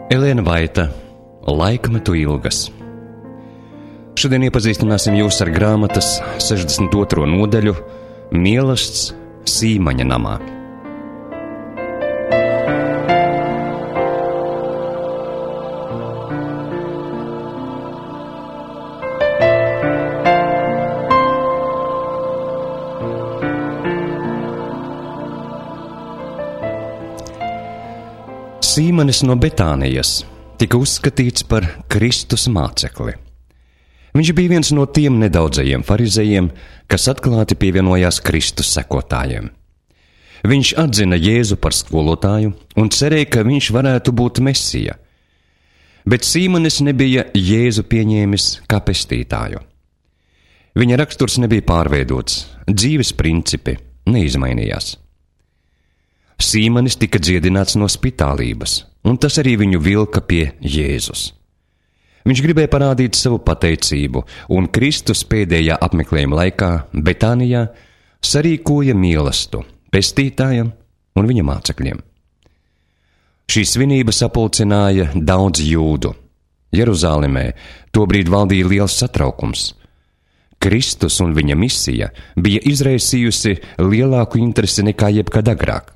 Elēna Vaita, Laikmetu ilgas. Šodien iepazīstināsim jūs ar grāmatas 62. nodaļu Mielasts Sīmaņa namā. Sīmanis no Betānijas tika uzskatīts par Kristus mācekli. Viņš bija viens no tiem nedaudzajiem farizejiem, kas atklāti pievienojās Kristus sekotājiem. Viņš atzina Jēzu par skolotāju un cerēja, ka viņš varētu būt Mesija. Bet Sīmanis nebija Jēzu pieņēmis kā pestītāju. Viņa raksturs nebija pārveidots, dzīves principi neizmainījās. Sīmanis tika dziedināts no spitālības, un tas arī viņu vilka pie Jēzus. Viņš gribēja parādīt savu pateicību, un Kristus pēdējā apmeklējuma laikā Betānijā sarīkoja mielastu pestītājam un viņa mācekļiem. Šī svinība sapulcināja daudz jūdu. Jeruzālemē tobrīd valdīja liels satraukums. Kristus un viņa misija bija izraisījusi lielāku interesi nekā jebkad agrāk.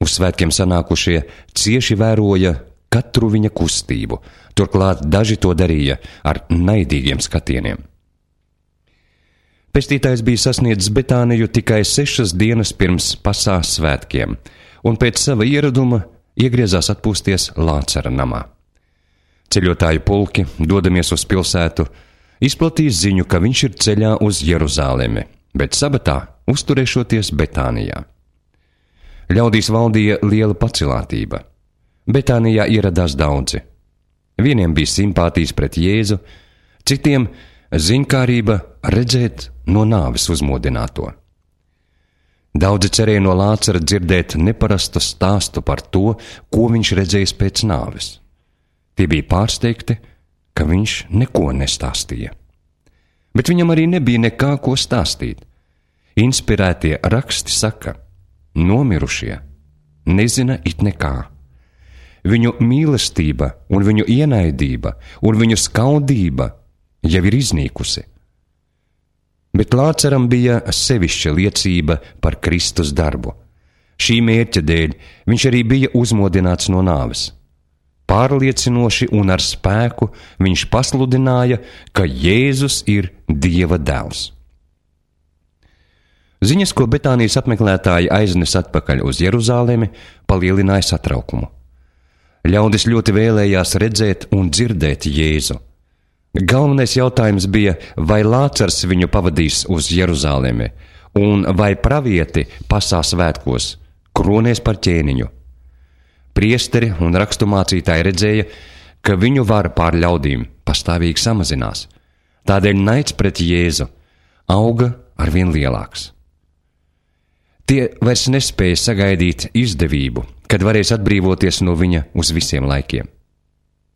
Uz svētkiem sanākušie cieši vēroja katru viņa kustību, turklāt daži to darīja ar naidīgiem skatieniem. Pestītājs bija sasniedzis Betāniju tikai 6 dienas pirms Pasās svētkiem, un pēc sava ieraduma iegriezās atpūsties Lācara namā. Ceļotāju pulki, dodamies uz pilsētu, izplatīja ziņu, ka viņš ir ceļā uz Jeruzālemi, bet sabatā uzturēšoties Betānijā. Ļaudīs valdīja liela pacilātība. Betānijā ieradās daudzi. Vieniem bija simpātijas pret Jēzu, citiem ziņkārība redzēt no nāves uzmodināto. Daudzi cerēja no Lācara dzirdēt neparastu stāstu par to, ko viņš redzējis pēc nāves. Tie bija pārsteigti, ka viņš neko nestāstīja. Bet viņam arī nebija nekā, ko stāstīt. Inspirētie raksti saka: nomirušie nezina it nekā. Viņu mīlestība un viņu ienaidība un viņu skaudība jau ir iznīkusi. Bet Lācaram bija sevišķa liecība par Kristus darbu. Šī mērķa dēļ viņš arī bija uzmodināts no nāves. Pārliecinoši un ar spēku viņš pasludināja, ka Jēzus ir Dieva dēls. Ziņas, ko Betānijas apmeklētāji aiznes atpakaļ uz Jeruzālemi, palielināja satraukumu. Ļaudis ļoti vēlējās redzēt un dzirdēt Jēzu. Galvenais jautājums bija, vai Lācars viņu pavadīs uz Jeruzālemi, un vai pravieti Pasās svētkos kronēs par ķēniņu. Priesteri un raksturmācītāji redzēja, ka viņu vara pār ļaudīm pastāvīgi samazinās. Tādēļ naids pret Jēzu auga arvien lielāks. Tie vairs nespēja sagaidīt izdevību, kad varēs atbrīvoties no viņa uz visiem laikiem.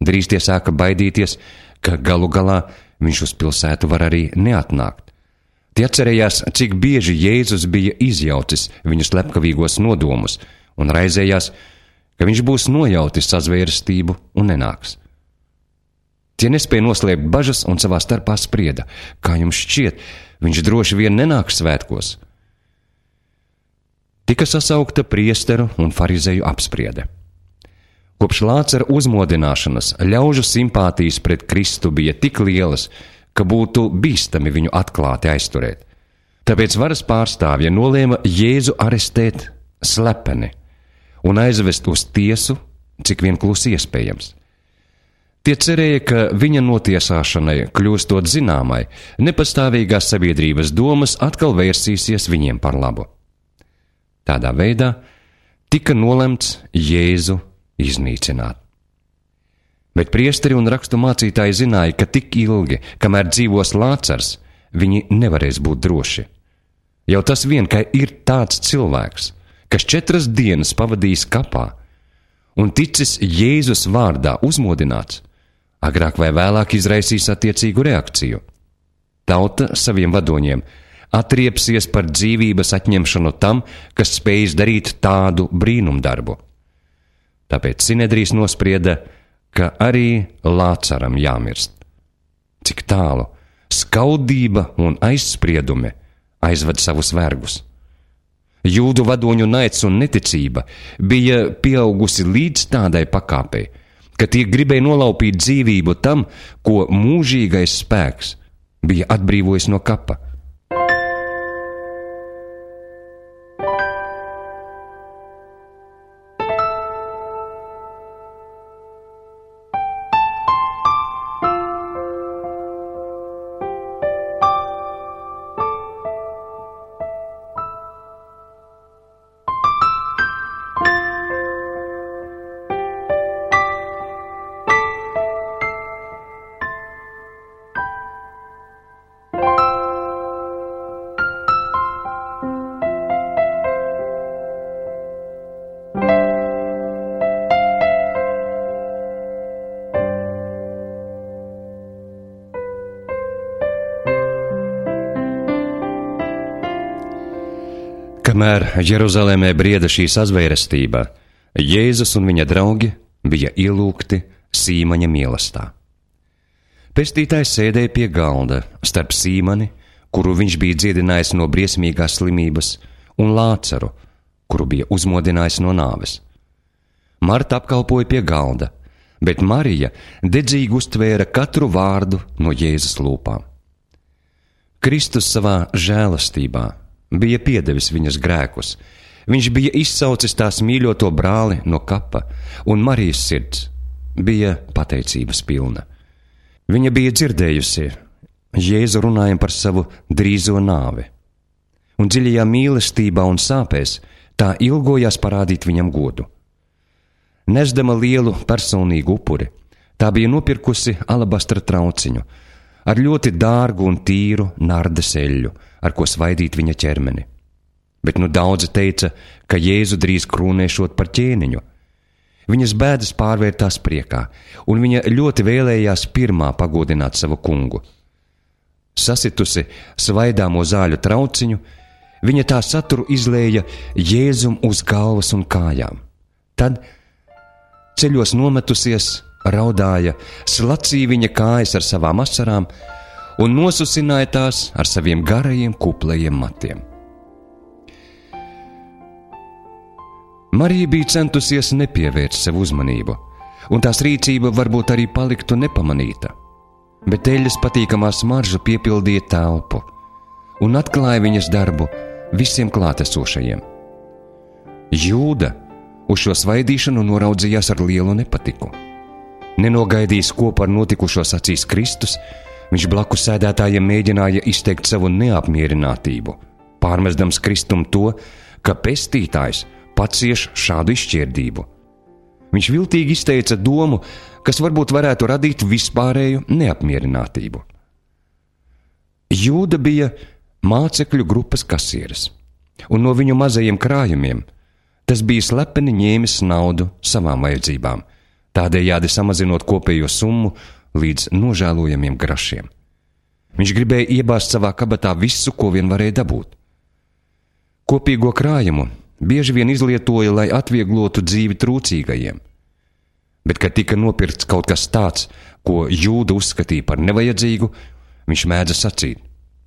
Drīz tie sāka baidīties, ka galu galā viņš uz pilsētu var arī neatnākt. Tie atcerējās, cik bieži Jēzus bija izjaucis viņu slepkavīgos nodomus un raizējās, ka viņš būs nojautis sazvērestību un nenāks. Tie nespēja noslēpt bažas un savā starpā sprieda: kā jums šķiet, viņš droši vien nenāks svētkos? Tika sasaukta priesteru un farizeju apspriede. Kopš Lācara uzmodināšanas ļaužu simpātijas pret Kristu bija tik lielas, ka būtu bīstami viņu atklāti aizturēt. Tāpēc varas pārstāvja nolēma Jēzu arestēt slepeni un aizvest uz tiesu, cik vien klusi iespējams. Tie cerēja, ka viņa notiesāšanai, kļūstot zināmai, nepastāvīgās sabiedrības domas atkal vērsīsies viņiem par labu. Tādā veidā tika nolemts Jēzu iznīcināt. Bet priesteri un raksturmācītāji zināja, ka tik ilgi, kamēr dzīvos Lācars, viņi nevarēs būt droši. Jau tas vien, ka ir tāds cilvēks, kas 4 dienas pavadījis kapā un ticis Jēzus vārdā uzmodināts, agrāk vai vēlāk izraisīs attiecīgu reakciju. Tauta saviem vadoņiem atriepsies par dzīvības atņemšanu tam, kas spējis darīt tādu brīnumdarbu. Tāpēc Sinedrijs nosprieda, ka arī Lācaram jāmirst. Cik tālu skaudība un aizspriedumi aizved savus vergus. Jūdu vadoņu naids un neticība bija pieaugusi līdz tādai pakāpei, ka tie gribēja nolaupīt dzīvību tam, ko mūžīgais spēks bija atbrīvojis no kapa. Kamēr Jeruzalemē brieda šī sazvērestība, Jēzus un viņa draugi bija ielūgti Sīmaņa mīlestā. Pestītājs sēdēja pie galda starp Sīmani, kuru viņš bija dziedinājis no briesmīgās slimības, un Lācaru, kuru bija uzmodinājis no nāves. Marta apkalpoja pie galda, bet Marija dedzīgi uztvēra katru vārdu no Jēzus lūpām. Kristus savā žēlastībā bija piedevis viņas grēkus. Viņš bija izsaucis tās mīļoto brāli no kapa, un Marijas sirds bija pateicības pilna. Viņa bija dzirdējusi Jēzu runājam par savu drīzo nāvi, un dziļajā mīlestībā un sāpēs tā ilgojās parādīt viņam godu. Nesdama lielu personīgu upuri, tā bija nopirkusi alabastra trauciņu ar ļoti dārgu un tīru nardes eļļu, ar ko svaidīt viņa ķermeni. Bet nu daudzi teica, ka Jēzu drīz krūnēšot par ķēniņu. Viņas bēdas pārvērtās priekā, un viņa ļoti vēlējās pirmā pagodināt savu kungu. Sasitusi svaidāmo zāļu trauciņu, viņa tā saturu izlēja Jēzum uz galvas un kājām. Tad, ceļos nometusies, raudāja, slacīja viņa kājas ar savām asarām un nosusināja tās ar saviem garajiem kuplajiem matiem. Marija bija centusies nepievērst sev uzmanību, un tās rīcība varbūt arī paliktu nepamanīta, bet eļļas patīkamā smarža piepildīja telpu un atklāja viņas darbu visiem klātesošajiem. Jūda uz šo svaidīšanu noraudzījās ar lielu nepatiku. Nenogaidījis, ko par notikušo sacīs Kristus, viņš blakus sēdētājiem mēģināja izteikt savu neapmierinātību, pārmesdams Kristum to, ka pestītājs pacieš šādu izšķirdību. Viņš viltīgi izteica domu, kas varbūt varētu radīt vispārēju neapmierinātību. Jūda bija mācekļu grupas kasieris, un no viņu mazajiem krājumiem tas bija slepeni ņēmis naudu savām vajadzībām, tādējādi samazinot kopējo summu līdz nožēlojamiem grašiem. Viņš gribēja iebāzt savā kabatā visu, ko vien varēja dabūt. Kopīgo krājumu bieži vien izlietoja, lai atvieglotu dzīvi trūcīgajiem. Bet, kad tika nopirkts kaut kas tāds, ko Jūda uzskatīja par nevajadzīgu, viņš mēdza sacīt: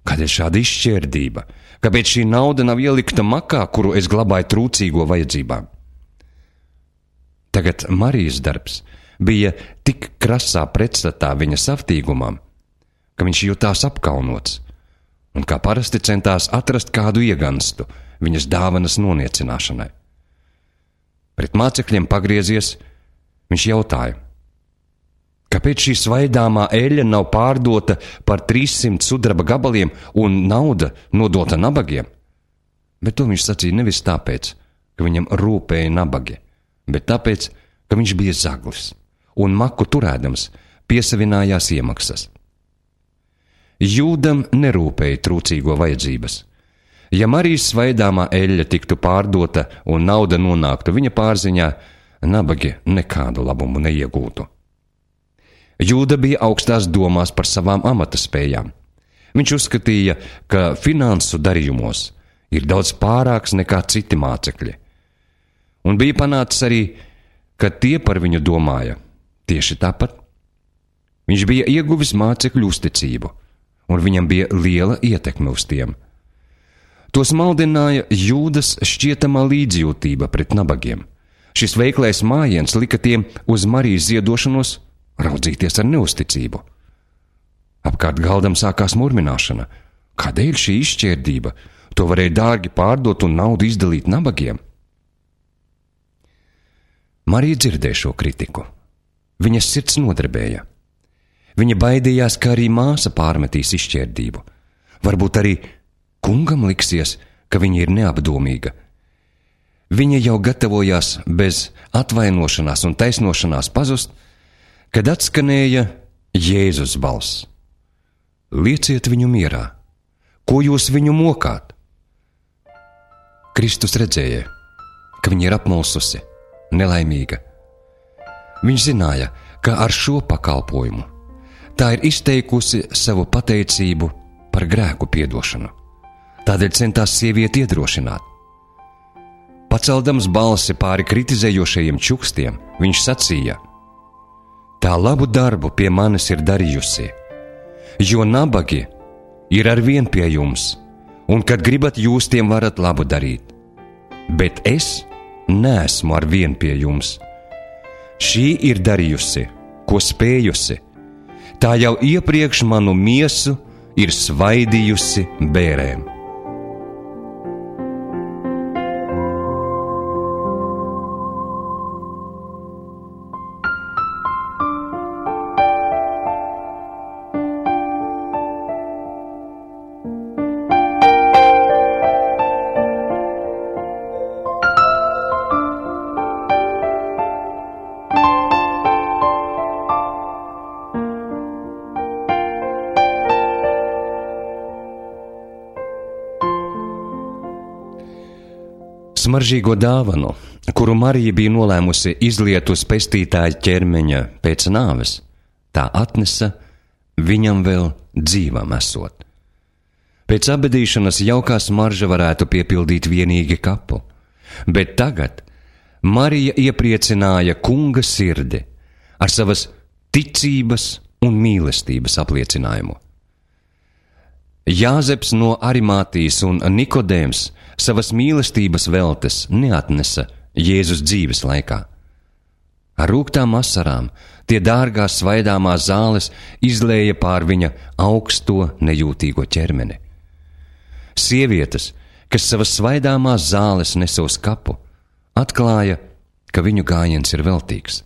kādēļ šāda izšķērdība? Kāpēc šī nauda nav ielikta makā, kuru es glabāju trūcīgo vajadzībām? Tagad Marijas darbs bija tik krasā pretstatā viņa saftīgumam, ka viņš jutās apkaunots, un kā parasti centās atrast kādu ieganstu viņas dāvanas noniecināšanai. Pret mācekļiem pagriezies, viņš jautāja: kāpēc šī svaidāmā eļļa nav pārdota par 300 sudraba gabaliem un nauda nodota nabagiem? Bet to viņš sacīja nevis tāpēc, ka viņam rūpēja nabagi, bet tāpēc, ka viņš bija zaglis un maku turēdams piesavinājās iemaksas. Jūdam nerūpēja trūcīgo vajadzības. Ja Marijas svaidāmā eļļa tiktu pārdota un nauda nonāktu viņa pārziņā, nabagi nekādu labumu neiegūtu. Jūda bija augstās domās par savām amata spējām. Viņš uzskatīja, ka finansu darījumos ir daudz pārāks nekā citi mācekļi. Un bija panācis arī, kad tie par viņu domāja tieši tāpat. Viņš bija ieguvis mācekļu uzticību, un viņam bija liela ietekme uz tiem. Tos maldināja Jūdas šķietamā līdzjūtība pret nabagiem. Šis veiklais mājiens lika tiem uz Marijas ziedošanos raudzīties ar neusticību. Apkārt galdam sākās murmināšana. Kādēļ šī izšķērdība? To varēja dārgi pārdot un naudu izdalīt nabagiem. Marija dzirdēja šo kritiku. Viņas sirds nodarbēja. Viņa baidījās, ka arī māsa pārmetīs izšķērdību. Varbūt arī kungam liksies, ka viņa ir neapdomīga. Viņa jau gatavojās bez atvainošanās un taisnošanās pazust, kad atskanēja Jēzus balss. Lieciet viņu mierā, ko jūs viņu mokāt? Kristus redzēja, ka viņa ir apmulsusi, nelaimīga. Viņš zināja, ka ar šo pakalpojumu tā ir izteikusi savu pateicību par grēku piedošanu. Tādēļ centās sievieti iedrošināt. Paceldams balsi pāri kritizējošajiem čukstiem, viņš sacīja: tā labu darbu pie manis ir darījusi, jo nabagi ir arvien pie jums, un kad gribat jūs tiem varat labu darīt. Bet es neesmu arvien pie jums. Šī ir darījusi, ko spējusi. Tā jau iepriekš manu miesu ir svaidījusi bērēm. Smaržīgo dāvanu, kuru Marija bija nolēmusi izliet uz pestītāja ķermeņa pēc nāves, tā atnesa viņam vēl dzīvam esot. Pēc abedīšanas jaukā smarža varētu piepildīt vienīgi kapu, bet tagad Marija iepriecināja kunga sirdi ar savas ticības un mīlestības apliecinājumu. Jāzeps no Arimātijas un Nikodēms savas mīlestības veltes neatnesa Jēzus dzīves laikā. Ar rūgtām asarām tie dārgās svaidāmās zāles izlēja pār viņa augsto nejūtīgo ķermeni. Sievietes, kas savas svaidāmās zāles nesa uz kapu, atklāja, ka viņu gājiens ir veltīgs,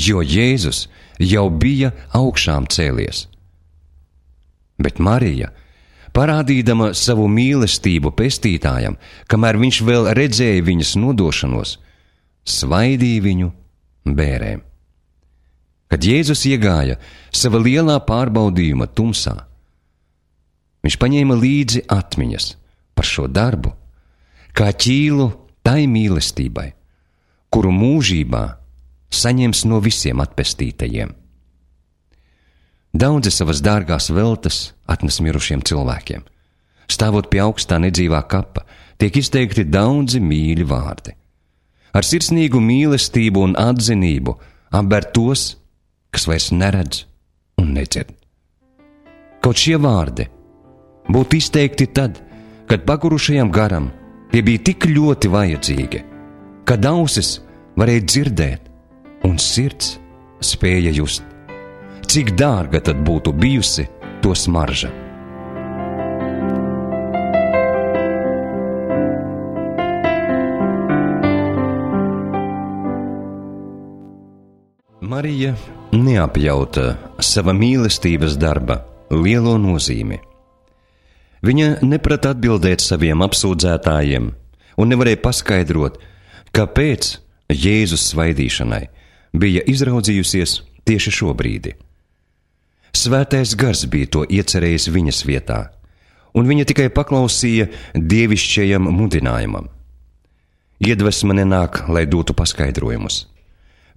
jo Jēzus jau bija augšām cēlies. Bet Marija, parādīdama savu mīlestību pestītājam, kamēr viņš vēl redzēja viņas nodošanos, svaidīja viņu bērēm. Kad Jēzus iegāja sava lielā pārbaudījuma tumsā, viņš paņēma līdzi atmiņas par šo darbu, kā ķīlu tai mīlestībai, kuru mūžībā saņems no visiem atpestītajiem. Daudzi savas dārgās veltes atnes mirušiem cilvēkiem. Stāvot pie augstā nedzīvā kapa, tiek izteikti daudzi mīļi vārdi. Ar sirsnīgu mīlestību un atzinību apber tos, kas vairs neredz un nedzird. Kaut šie vārdi būtu izteikti tad, kad pagurušajam garam tie bija tik ļoti vajadzīgi, kad ausis varēja dzirdēt un sirds spēja just. Cik dārga tad būtu bijusi to smarža. Marija neapjauta sava mīlestības darba lielo nozīmi. Viņa neprata atbildēt saviem apsūdzētājiem un nevarēja paskaidrot, kāpēc Jēzus svaidīšanai bija izraudzījusies tieši šobrīd. Svētais gars bija to iecerējis viņas vietā, un viņa tikai paklausīja dievišķajam mudinājumam. Iedvesma nenāk, lai dotu paskaidrojumus.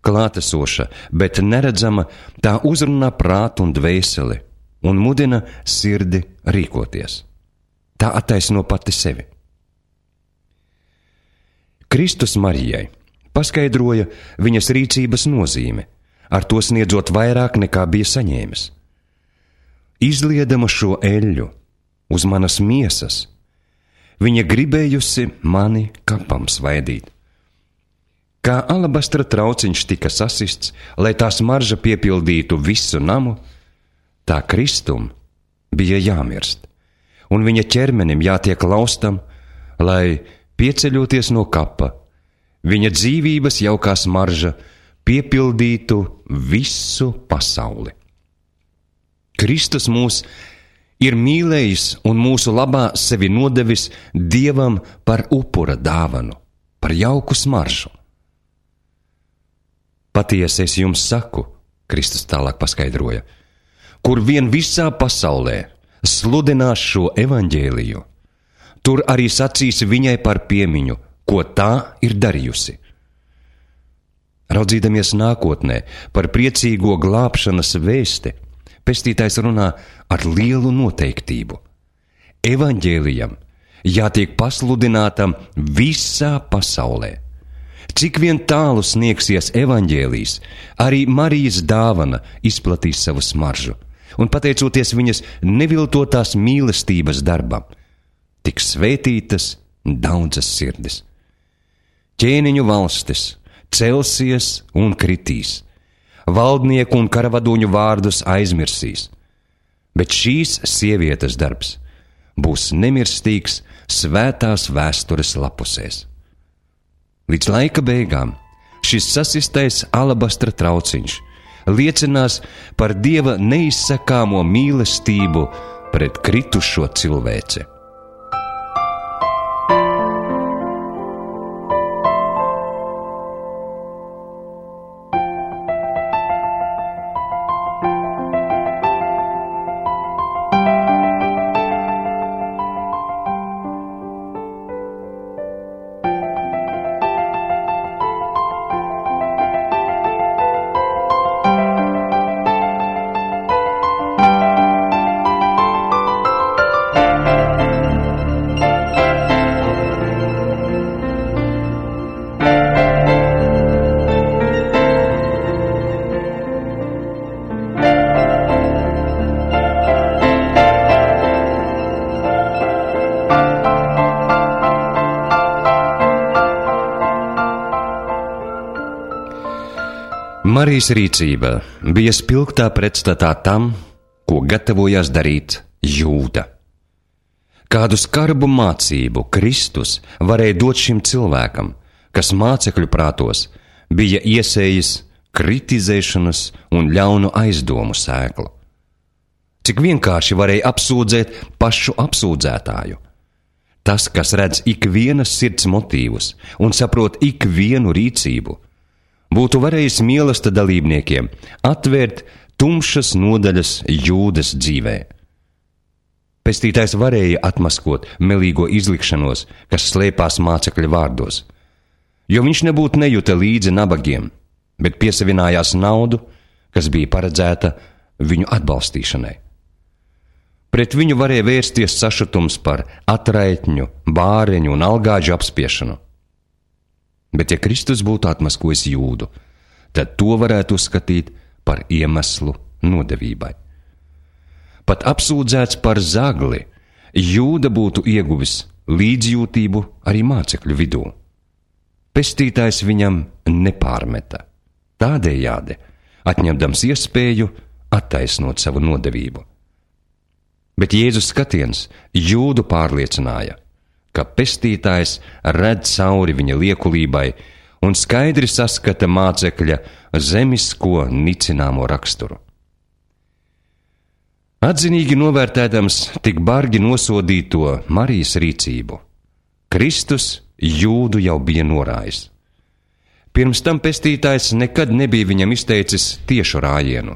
Klātesoša, bet neredzama, tā uzrunā prātu un dvēseli un mudina sirdi rīkoties. Tā attaisno pati sevi. Kristus Marijai paskaidroja viņas rīcības nozīmi, ar to sniedzot vairāk nekā bija saņēmis. Izliedama šo eļļu uz manas miesas, viņa gribējusi mani kapam svaidīt. Kā alabastra trauciņš tika sasists, lai tā smarža piepildītu visu namu, tā Kristum bija jāmirst, un viņa ķermenim jātiek laustam, lai, pieceļoties no kapa, viņa dzīvības jaukā smarža piepildītu visu pasauli. Kristus mūs ir mīlējis un mūsu labā sevi nodevis Dievam par upura dāvanu, par jauku smaržu. Patiesi es jums saku, Kristus tālāk paskaidroja, kur vien visā pasaulē sludinās šo evaņģēliju, tur arī sacīs viņai par piemiņu, ko tā ir darījusi. Raudzīdamies nākotnē par priecīgo glābšanas vēsti, pestītājs runā ar lielu noteiktību. Evaņģēlijam jātiek pasludinātam visā pasaulē. Cik vien tālu sniegsies evaņģēlijs, arī Marijas dāvana izplatīs savu smaržu, un pateicoties viņas neviltotās mīlestības darbam, tiks svētītas daudzas sirdis. Ķēniņu valstis celsies un kritīs, valdnieku un karavadoņu vārdus aizmirsīs, bet šīs sievietes darbs būs nemirstīgs svētās vēstures lapusēs. Līdz laika beigām šis sasistais alabastra trauciņš liecinās par Dieva neizsakāmo mīlestību pret kritušo cilvēci. Marijas rīcība bija spilgtā pretstatā tam, ko gatavojās darīt Jūda. Kādu skarbu mācību Kristus varēja dot šim cilvēkam, kas mācekļu prātos bija iesējis kritizēšanas un ļaunu aizdomu sēklu. Cik vienkārši varēja apsūdzēt pašu apsūdzētāju. Tas, kas redz ikvienas sirds motīvus un saprot ikvienu rīcību, būtu varējis mīlesta dalībniekiem atvērt tumšas nodaļas Jūdas dzīvē. Pestītājs varēja atmaskot melīgo izlikšanos, kas slēpās mācekļa vārdos, jo viņš nebūtu nejuta līdzi nabagiem, bet piesavinājās naudu, kas bija paredzēta viņu atbalstīšanai. Pret viņu varēja vērsties sašutums par atraitņu, bāreņu un algāģu apspiešanu. Bet ja Kristus būtu atmaskojis Jūdu, tad to varētu uzskatīt par iemeslu nodevībai. Pat apsūdzēts par zagli, Jūda būtu ieguvis līdzjūtību arī mācekļu vidū. Pestītājs viņam nepārmeta, tādējādi atņemdams iespēju attaisnot savu nodevību. Bet Jēzus skatiens Jūdu pārliecināja, ka pestītājs redz cauri viņa liekulībai un skaidri saskata mācekļa zemisko nicināmo raksturu. Atzinīgi novērtēdams tik bargi nosodīto Marijas rīcību, Kristus Jūdu jau bija norājis. Pirms tam pestītājs nekad nebija viņam izteicis tiešu rājienu.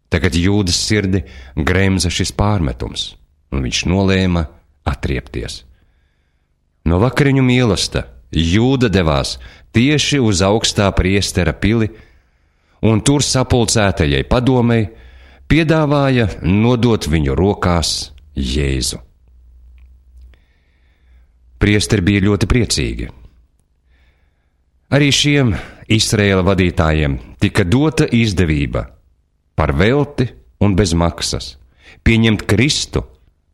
Tagad Jūdas sirdi gremza šis pārmetums, un viņš nolēma atriepties. No vakariņu mīlesta Jūda devās tieši uz augstā priestera pili, un tur sapulcētajai padomei piedāvāja nodot viņu rokās Jēzu. Priesteri bija ļoti priecīgi. Arī šiem Izraēla vadītājiem tika dota izdevība par velti un bez maksas pieņemt Kristu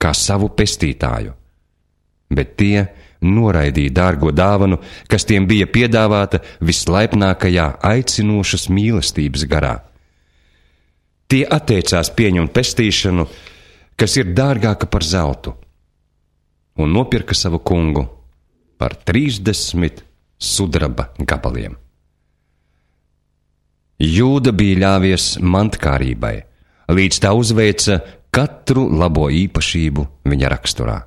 kā savu pestītāju, bet tie noraidīja dārgo dāvanu, kas tiem bija piedāvāta vislaipnākajā aicinošas mīlestības garā. Tie atteicās pieņemt pestīšanu, kas ir dārgāka par zeltu, un nopirka savu kungu par 30 sudraba gabaliem. Jūda bija ļāvies mantkārībai, līdz tā uzveica katru labo īpašību viņa raksturā.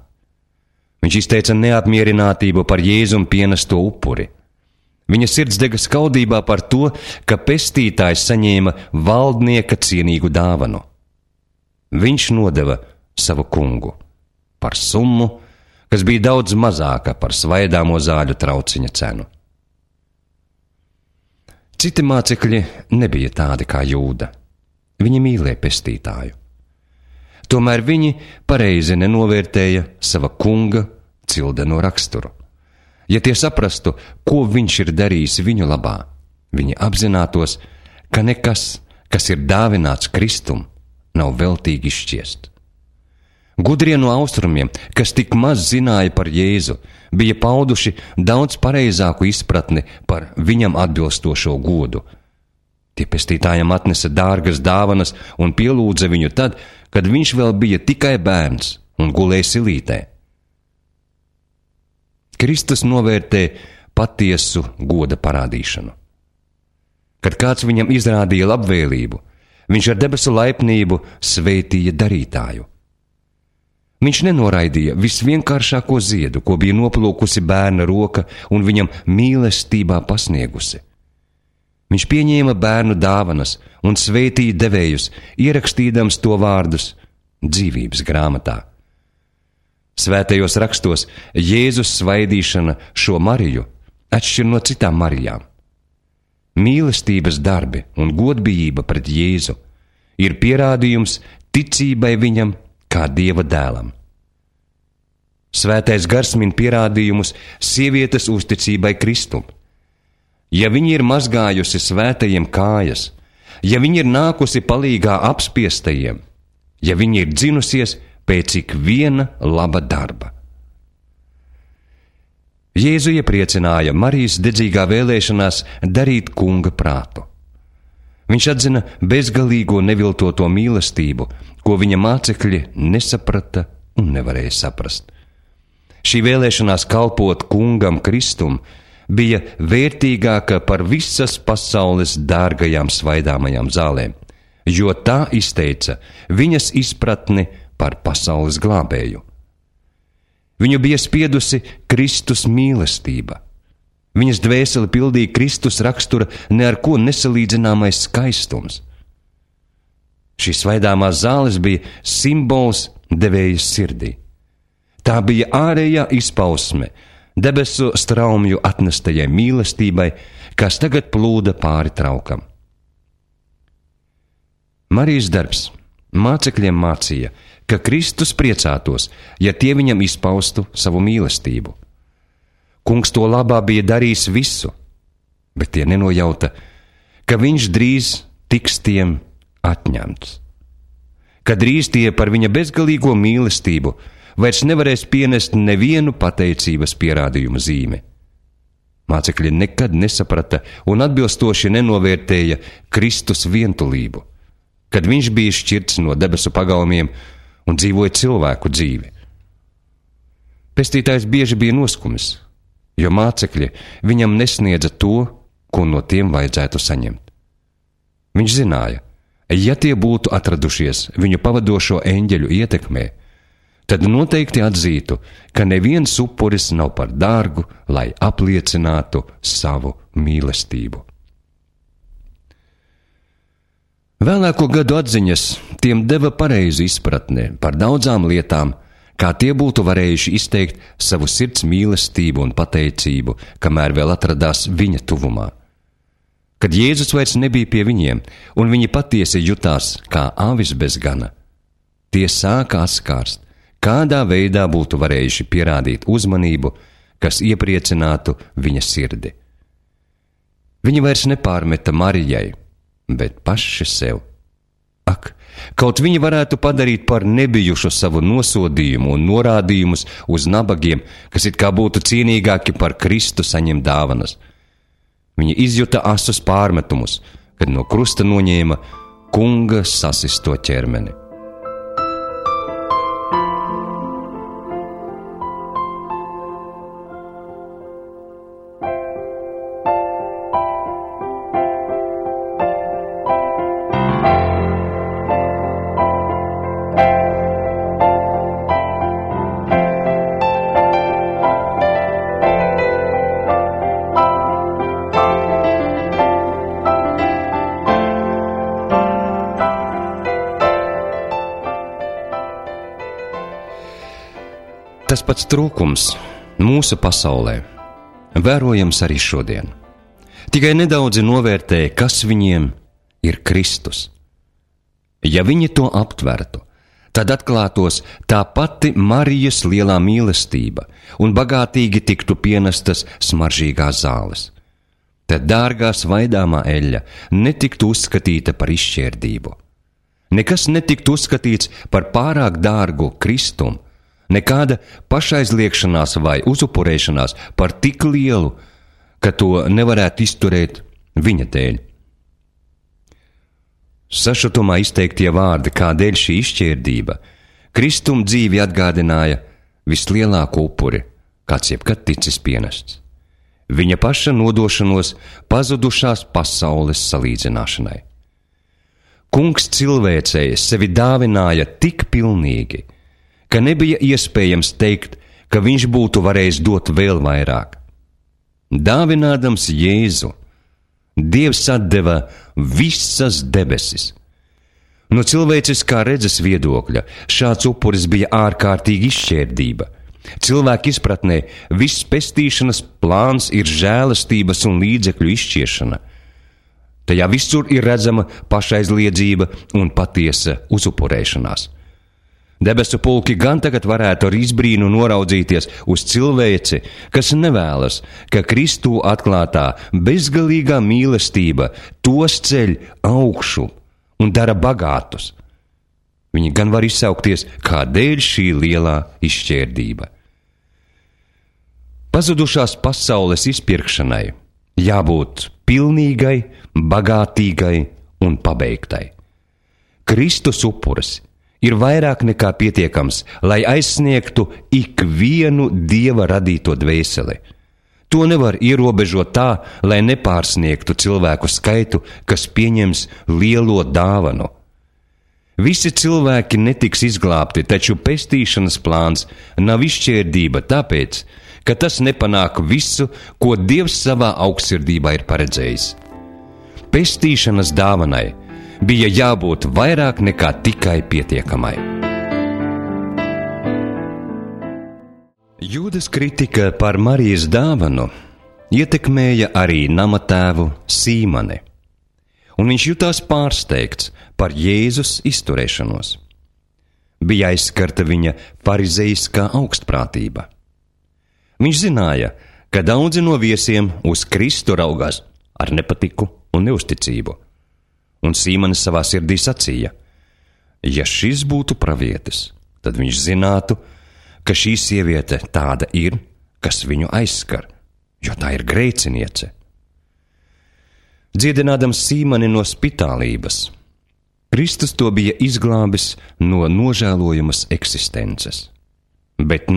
Viņš izteica neapmierinātību par Jēzum pienesto upuri. Viņa sirds dega skaudībā par to, ka pestītājs saņēma valdnieka cienīgu dāvanu. Viņš nodeva savu kungu par summu, kas bija daudz mazāka par svaidāmo zāļu trauciņa cenu. Citi mācekļi nebija tādi kā Jūda. Viņi mīlēja pestītāju. Tomēr viņi pareizi nenovērtēja sava kunga cildeno raksturu. Ja tie saprastu, ko viņš ir darījis viņu labā, viņi apzinātos, ka nekas, kas ir dāvināts Kristum, nav veltīgi izšķiest. Gudrie no austrumiem, kas tik maz zināja par Jēzu, bija pauduši daudz pareizāku izpratni par viņam atbilstošo godu. Tie pestītājam atnesa dārgas dāvanas un pielūdza viņu tad, kad viņš vēl bija tikai bērns un gulēja silītē. Kristus novērtē patiesu goda parādīšanu. Kad kāds viņam izrādīja labvēlību, viņš ar debesu laipnību sveitīja darītāju. Viņš nenoraidīja visvienkāršāko ziedu, ko bija noplūkusi bērna roka un viņam mīlestībā pasniegusi. Viņš pieņēma bērnu dāvanas un sveitīja devējus, ierakstīdams to vārdus dzīvības grāmatā. Svētajos rakstos Jēzus svaidīšana šo Mariju atšķir no citām Marijām. Mīlestības darbi un godbijība pret Jēzu ir pierādījums ticībai viņam kā Dieva dēlam. Svētais gars min pierādījumus sievietes uzticībai Kristum. Ja viņa ir mazgājusi svētajiem kājas, ja viņa ir nākusi palīgā apspiestajiem, ja viņa ir dzinusies pēc ik viena laba darba. Jēzu iepriecināja Marijas dedzīgā vēlēšanās darīt kunga prātu. Viņš atzina bezgalīgo neviltoto mīlestību, ko viņa mācekļi nesaprata un nevarēja saprast. Šī vēlēšanās kalpot kungam Kristum bija vērtīgāka par visas pasaules dārgajām svaidāmajām zālēm, jo tā izteica viņas izpratni par pasaules glābēju. Viņu bija spiedusi Kristus mīlestība. Viņas dvēseli pildīja Kristus rakstura ne ar ko nesalīdzināmais skaistums. Šīs svaidāmās zāles bija simbols devējas sirdī. Tā bija ārējā izpausme debesu straumju atnestajai mīlestībai, kas tagad plūda pāri traukam. Marijas darbs mācekļiem mācīja, ka Kristus priecātos, ja tie viņam izpaustu savu mīlestību. Kungs to labā bija darījis visu, bet tie nenojauta, ka viņš drīz tiks tiem atņemts. Ka drīz tie par viņa bezgalīgo mīlestību vairs nevarēs pienest nevienu pateicības pierādījumu zīmi. Mācekļi nekad nesaprata un atbilstoši nenovērtēja Kristus vientulību, kad viņš bija šķirts no debesu pagalmiem un dzīvoja cilvēku dzīvi. Pestītājs bieži bija noskumis, jo mācekļi viņam nesniedza to, ko no tiem vajadzētu saņemt. Viņš zināja, ja tie būtu atradušies viņu pavadošo eņģeļu ietekmē, tad noteikti atzītu, ka neviens upuris nav par dārgu, lai apliecinātu savu mīlestību. Vēlāko gadu atziņas tiem deva pareizu izpratni par daudzām lietām, kā tie būtu varējuši izteikt savu sirds mīlestību un pateicību, kamēr vēl atradās viņa tuvumā. Kad Jēzus vairs nebija pie viņiem, un viņi patiesi jutās kā avis bez gana, tie sāka atskārst, kādā veidā būtu varējuši pierādīt uzmanību, kas iepriecinātu viņa sirdi. Viņi vairs nepārmeta Marijai, bet paši sev. Ak, kaut viņi varētu padarīt par nebijušu savu nosodījumu un norādījumus uz nabagiem, kas it kā būtu cienīgāki par Kristu saņemt dāvanas. Viņi izjuta asus pārmetumus, kad no krusta noņēma kunga sasisto ķermeni. Tas pats trūkums mūsu pasaulē vērojams arī šodien. Tikai nedaudzi novērtē, kas viņiem ir Kristus. Ja viņi to aptvertu, tad atklātos tā pati Marijas lielā mīlestība un bagātīgi tiktu pienestas smaržīgās zāles. Tad dārgā svaidāmā eļļa netiktu uzskatīta par izšķērdību. Nekas netiktu uzskatīts par pārāk dārgu Kristumu, nekāda pašaizliekšanās vai uzupurēšanās par tik lielu, ka to nevarētu izturēt viņa dēļ. Sašutumā izteiktie vārdi, kādēļ šī izšķērdība, Kristuma dzīvi atgādināja vislielāko upuri, kāds jebkad ticis pienests. Viņa paša nodošanos pazudušās pasaules salīdzināšanai. Kungs cilvēcei sevi dāvināja tik pilnīgi, ka nebija iespējams teikt, ka viņš būtu varējis dot vēl vairāk. Dāvinādams Jēzu, Dievs atdeva visas debesis. No cilvēciskā redzes viedokļa šāds upuris bija ārkārtīgi izšķērdība. Cilvēka izpratnē viss pestīšanas plāns ir žēlastības un līdzekļu izšķiešana. Tajā visur ir redzama pašaizliedzība un patiesa uzupurēšanās. Debesu pulki gan tagad varētu ar izbrīnu noraudzīties uz cilvēci, kas nevēlas, ka Kristū atklātā bezgalīgā mīlestība tos ceļ augšu un dara bagātus. Viņi gan var izsaukties, kādēļ šī lielā izšķērdība. Pazudušās pasaules izpirkšanai jābūt pilnīgai, bagātīgai un pabeigtai. Kristus upuris ir vairāk nekā pietiekams, lai aizsniegtu ikvienu Dieva radīto dvēseli. To nevar ierobežot tā, lai nepārsniegtu cilvēku skaitu, kas pieņems lielo dāvanu. Visi cilvēki netiks izglābti, taču pestīšanas plāns nav izšķērdība tāpēc, ka tas nepanāk visu, ko Dievs savā augstsirdībā ir paredzējis. Pestīšanas dāvanai bija jābūt vairāk nekā tikai pietiekamai. Jūdas kritika par Marijas dāvanu ietekmēja arī namatēvu Sīmani, un viņš jutās pārsteigts par Jēzus izturēšanos. Bija aizskarta viņa farizeiskā augstprātība. Viņš zināja, ka daudzi no viesiem uz Kristu raugās ar nepatiku un neusticību. Un Sīmanis savā sirdī sacīja, ja šis būtu pravietis, tad viņš zinātu, ka šī sieviete tāda ir, kas viņu aizskar, jo tā ir grēciniece. Dziedinādams Sīmani no spitālības, Kristus to bija izglābis no nožēlojamas eksistences. Bet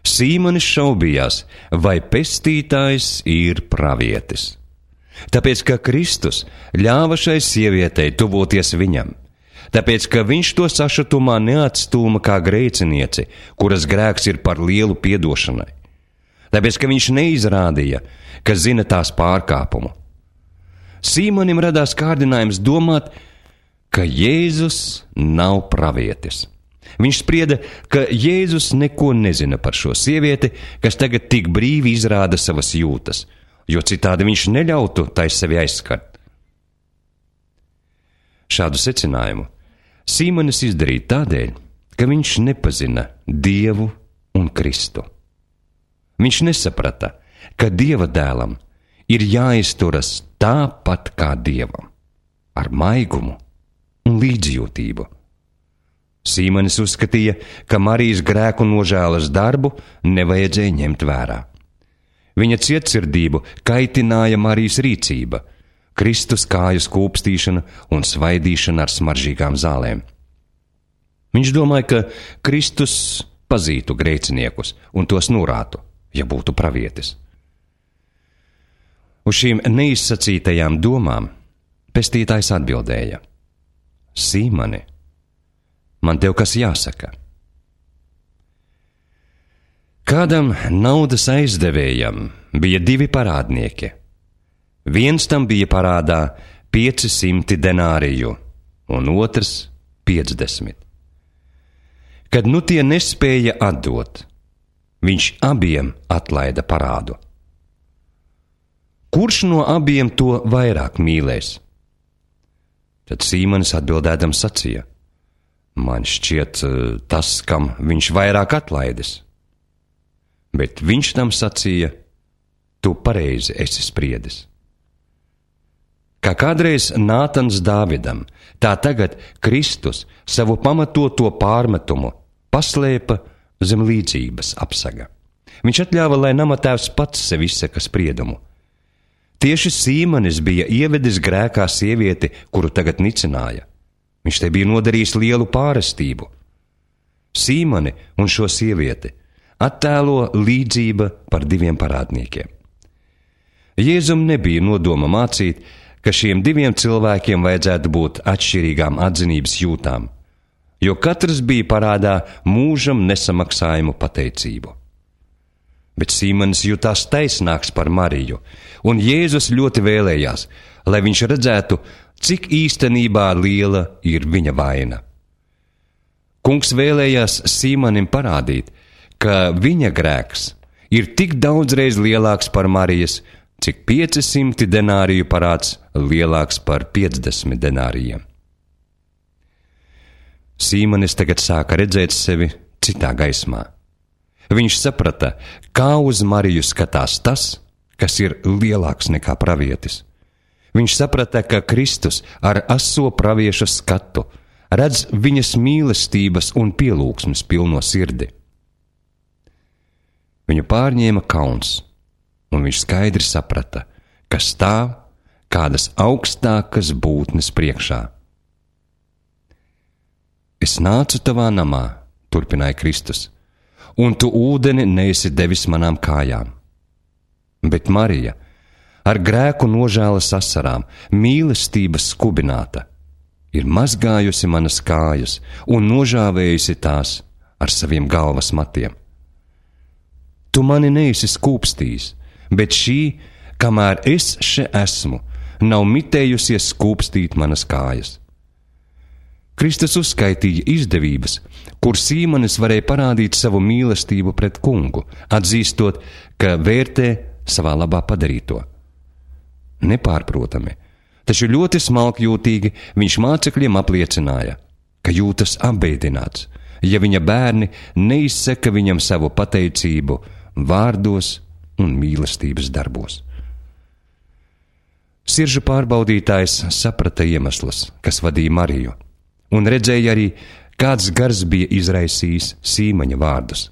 Sīmanis šaubījās, vai pestītājs ir pravietis. Tāpēc, ka Kristus ļāva šai sievietei tuvoties viņam, tāpēc, ka viņš to sašutumā neatstūma kā grēcinieci, kuras grēks ir par lielu piedošanai, tāpēc, ka viņš neizrādīja, ka zina tās pārkāpumu. Sīmanim radās kārdinājums domāt, ka Jēzus nav pravietis. Viņš sprieda, ka Jēzus neko nezina par šo sievieti, kas tagad tik brīvi izrāda savas jūtas, jo citādi viņš neļautu tai sevi aizskart. Šādu secinājumu Sīmanis izdarīja tādēļ, ka viņš nepazina Dievu un Kristu. Viņš nesaprata, ka Dieva dēlam ir jāizturas tāpat kā Dievam, ar maigumu un līdzjūtību. Sīmanis uzskatīja, ka Marijas grēku nožēlas darbu nevajadzēja ņemt vērā. Viņa cietsirdību kaitināja Marijas rīcība, Kristus kāju skūpstīšana un svaidīšana ar smaržīgām zālēm. Viņš domāja, ka Kristus pazītu grēciniekus un tos norātu, ja būtu pravietis. Uz šīm neizsacītajām domām pestītājs atbildēja: Sīmani, man tev kas jāsaka. Kādam naudas aizdevējam bija 2 parādnieki. Viens tam bija parādā 500 denāriju, un otrs 50. Kad nu tie nespēja atdot, viņš abiem atlaida parādu. Kurš no abiem to vairāk mīlēs? Tad Sīmanis atbildēdams sacīja: Man šķiet tas, kam viņš vairāk atlaidis. Bet viņš tam sacīja: Tu pareizi esi spriedis. Kā kādreiz Nātans Dāvidam, tā tagad Kristus savu pamatoto pārmetumu paslēpa zem līdzības apsaga. Viņš atļāva, lai namatēvs pats sev izsaka spriedumu. Tieši Sīmanis bija ievedis grēkā sievieti, kuru tagad nicināja. Viņš te bija nodarījis lielu pārestību. Sīmani un šo sievieti attēlo līdzība par 2 parādniekiem. Jēzum nebija nodoma mācīt, ka šiem 2 cilvēkiem vajadzētu būt atšķirīgām atzinības jūtām, jo katrs bija parādā mūžam nesamaksājumu pateicību. Bet Sīmanis jutās taisnāks par Mariju, un Jēzus ļoti vēlējās, lai viņš redzētu, cik īstenībā liela ir viņa vaina. Kungs vēlējās Sīmanim parādīt, ka viņa grēks ir tik daudzreiz lielāks par Marijas, cik 500 denāriju parāds lielāks par 50 denārijiem. Sīmanis tagad sāka redzēt sevi citā gaismā. Viņš saprata, kā uz Mariju skatās tas, kas ir lielāks nekā pravietis. Viņš saprata, ka Kristus ar aso pravieša skatu redz viņas mīlestības un pielūgsmes pilno sirdi. Viņu pārņēma kauns, un viņš skaidri saprata, ka stāv kādas augstākas būtnes priekšā. Es nācu tavā namā, turpināja Kristus, un tu ūdeni neesi devis manām kājām. Bet Marija, ar grēku nožēlas asarām, mīlestības skubināta, ir mazgājusi manas kājas un nožāvējusi tās ar saviem galvas matiem. Tu mani neesi skūpstījis, bet šī, kamēr es še esmu, nav mitējusies skūpstīt manas kājas. Kristus uzskaitīja izdevības, kur Sīmanis varēja parādīt savu mīlestību pret kungu, atzīstot, ka vērtē savā labā padarīto. Nepārprotami, taču ļoti smalkjūtīgi viņš mācekļiem apliecināja, ka jūtas apbēdināts, ja viņa bērni neizsaka viņam savu pateicību vārdos un mīlestības darbos. Siržu pārbaudītājs saprata iemeslus, kas vadīja Mariju, un redzēja arī, kāds gars bija izraisījis Sīmaņa vārdus.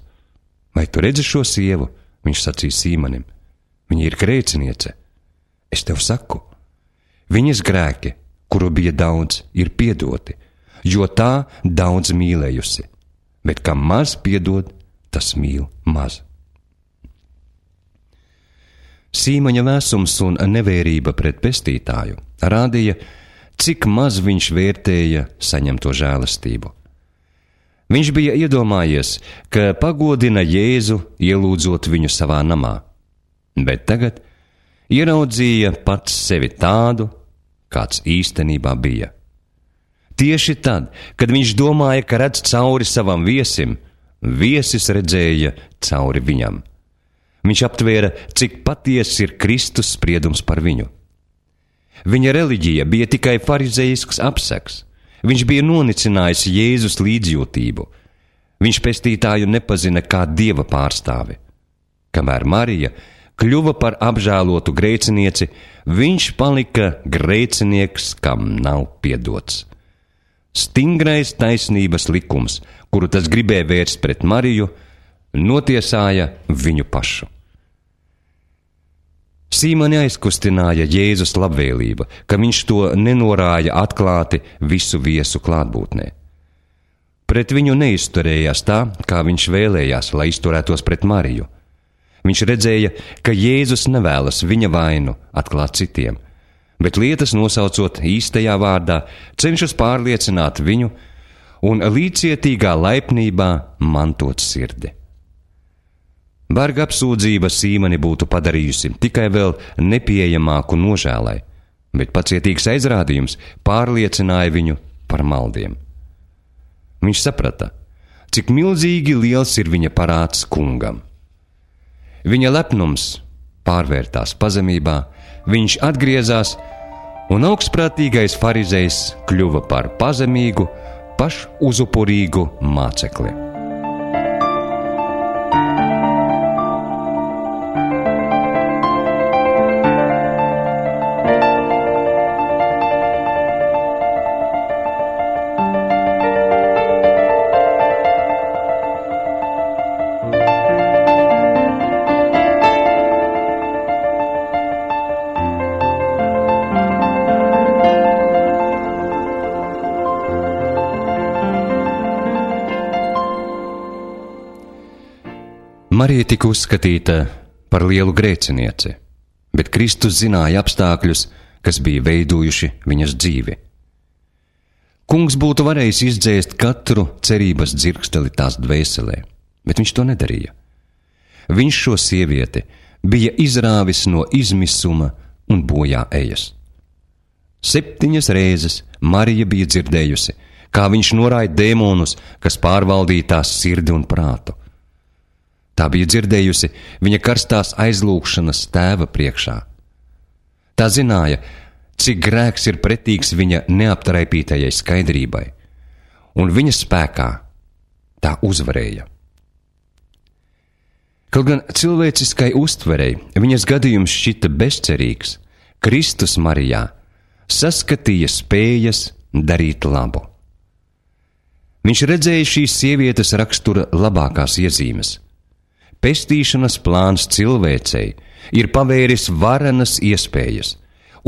Vai tu redzi šo sievu? Viņš sacīja Sīmanim. Viņa ir grēciniece. Es tev saku, viņas grēki, kuru bija daudz, ir piedoti, jo tā daudz mīlējusi, bet kam maz piedod, tas mīl maz. Sīmaņa vēsums un nevērība pret pestītāju rādīja, cik maz viņš vērtēja saņemto žēlastību. Viņš bija iedomājies, ka pagodina Jēzu, ielūdzot viņu savā namā, bet tagad ieraudzīja pats sevi tādu, kāds īstenībā bija. Tieši tad, kad viņš domāja, ka redz cauri savam viesim, viesis redzēja cauri viņam. Viņš aptvēra, cik patiesi ir Kristus spriedums par viņu. Viņa reliģija bija tikai farizejisks apseks. Viņš bija nonicinājis Jēzus līdzjūtību. Viņš pestītāju nepazina kā dieva pārstāvi. Kamēr Marija kļuva par apžēlotu grēcinieci, viņš palika grēcinieks, kam nav piedots. Stingrais taisnības likums, kuru tas gribēja vērst pret Mariju, notiesāja viņu pašu. Sīmoni aizkustināja Jēzus labvēlība, ka viņš to nenorāja atklāti visu viesu klātbūtnē. Pret viņu neizturējās tā, kā viņš vēlējās, lai izturētos pret Mariju. Viņš redzēja, ka Jēzus nevēlas viņa vainu atklāt citiem, bet lietas nosaucot īstajā vārdā, cenšas pārliecināt viņu un līdzcietīgā laipnībā mantot sirdi. Barga apsūdzība Sīmoni būtu padarījusi tikai vēl nepieejamāku nožēlai, bet pacietīgs aizrādījums pārliecināja viņu par maldiem. Viņš saprata, cik milzīgi liels ir viņa parāds kungam. Viņa lepnums pārvērtās pazemībā, viņš atgriezās, un augstprātīgais farizejs kļuva par pazemīgu, pašuzupurīgu mācekli. Marija tika uzskatīta par lielu grēcinieci, bet Kristus zināja apstākļus, kas bija veidojuši viņas dzīvi. Kungs būtu varējis izdzēst katru cerības dzirksteli tās dvēselē, bet viņš to nedarīja. Viņš šo sievieti bija izrāvis no izmisuma un bojā ejas. 7 reizes Marija bija dzirdējusi, kā viņš noraida dēmonus, kas pārvaldīja tās sirdi un prātu. Tā bija dzirdējusi viņa karstās aizlūgšanas tēva priekšā. Tā zināja, cik grēks ir pretīgs viņa neaptraipītajai skaidrībai, un viņa spēkā tā uzvarēja. Kaut gan cilvēciskai uztverei viņas gadījums šķita bezcerīgs, Kristus Marijā saskatīja spējas darīt labu. Viņš redzēja šīs sievietes rakstura labākās iezīmes. Pestīšanas plāns cilvēcei ir pavēris varenas iespējas,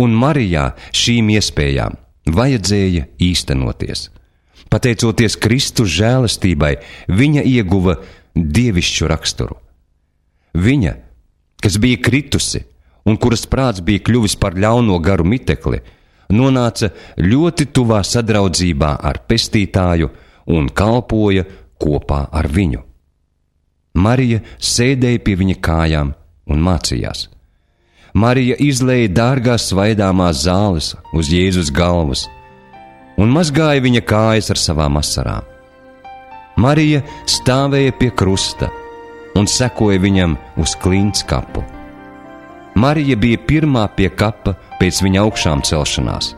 un Marijā šīm iespējām vajadzēja īstenoties. Pateicoties Kristus žēlastībai, viņa ieguva dievišķu raksturu. Viņa, kas bija kritusi un kuras prāts bija kļuvis par ļauno garu mitekli, nonāca ļoti tuvā sadraudzībā ar pestītāju un kalpoja kopā ar viņu. Marija sēdēja pie viņa kājām un mācījās. Marija izlēja dārgās svaidāmās zāles uz Jēzus galvas un mazgāja viņa kājas ar savām asarām. Marija stāvēja pie krusta un sekoja viņam uz klints kapu. Marija bija pirmā pie kapa pēc viņa augšām celšanās.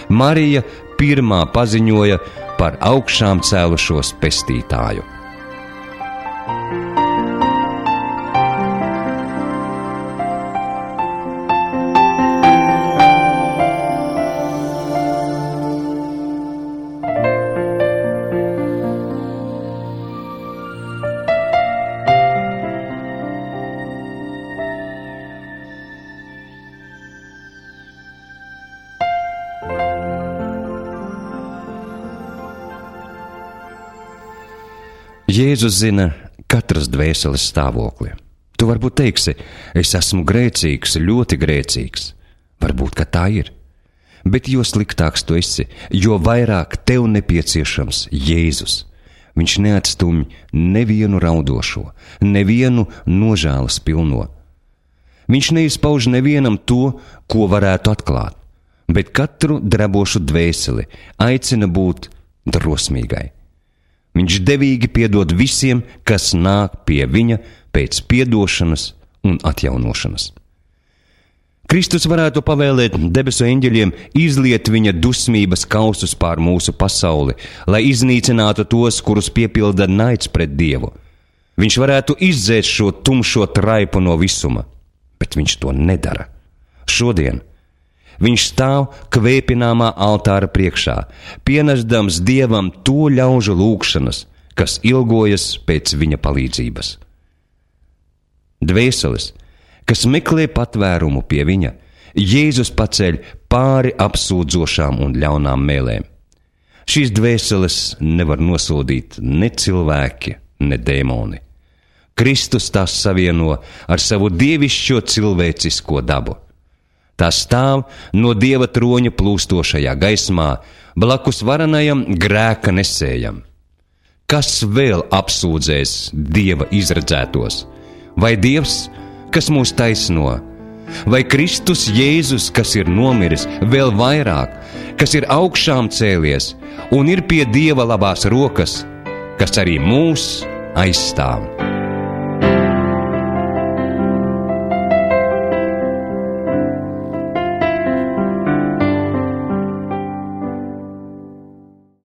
Marija pirmā paziņoja par augšām cēlušos pestītāju. Jēzus zina katras dvēseles stāvokli. Tu varbūt teiksi, es esmu grēcīgs, ļoti grēcīgs. Varbūt, ka tā ir. Bet jo sliktāks tu esi, jo vairāk tev nepieciešams Jēzus. Viņš neatstumj nevienu raudošo, nevienu nožēlas pilno. Viņš neizpauž nevienam to, ko varētu atklāt, bet katru drebošu dvēseli aicina būt drosmīgai. Viņš devīgi piedod visiem, kas nāk pie viņa pēc piedošanas un atjaunošanas. Kristus varētu pavēlēt debesu eņģeļiem izliet viņa dusmības kausus pār mūsu pasauli, lai iznīcinātu tos, kurus piepilda naids pret Dievu. Viņš varētu izdzēst šo tumšo traipu no visuma, bet viņš to nedara. Šodien viņš stāv kvēpināmā altāra priekšā, pienesdams Dievam to ļaužu lūgšanas, kas ilgojas pēc viņa palīdzības. Dvēseles, kas meklē patvērumu pie viņa, Jēzus paceļ pāri apsūdzošām un ļaunām mēlēm. Šīs dvēseles nevar nosodīt ne cilvēki, ne dēmoni. Kristus tās savieno ar savu dievišķo cilvēcisko dabu. Tā stāv no Dieva troņa plūstošajā gaismā, blakus varenajam grēka nesējam. Kas vēl apsūdzēs Dieva izredzētos? Vai Dievs, kas mūs taisno? Vai Kristus Jēzus, kas ir nomiris, vēl vairāk, kas ir augšām cēlies un ir pie Dieva labās rokas, kas arī mūs aizstāv?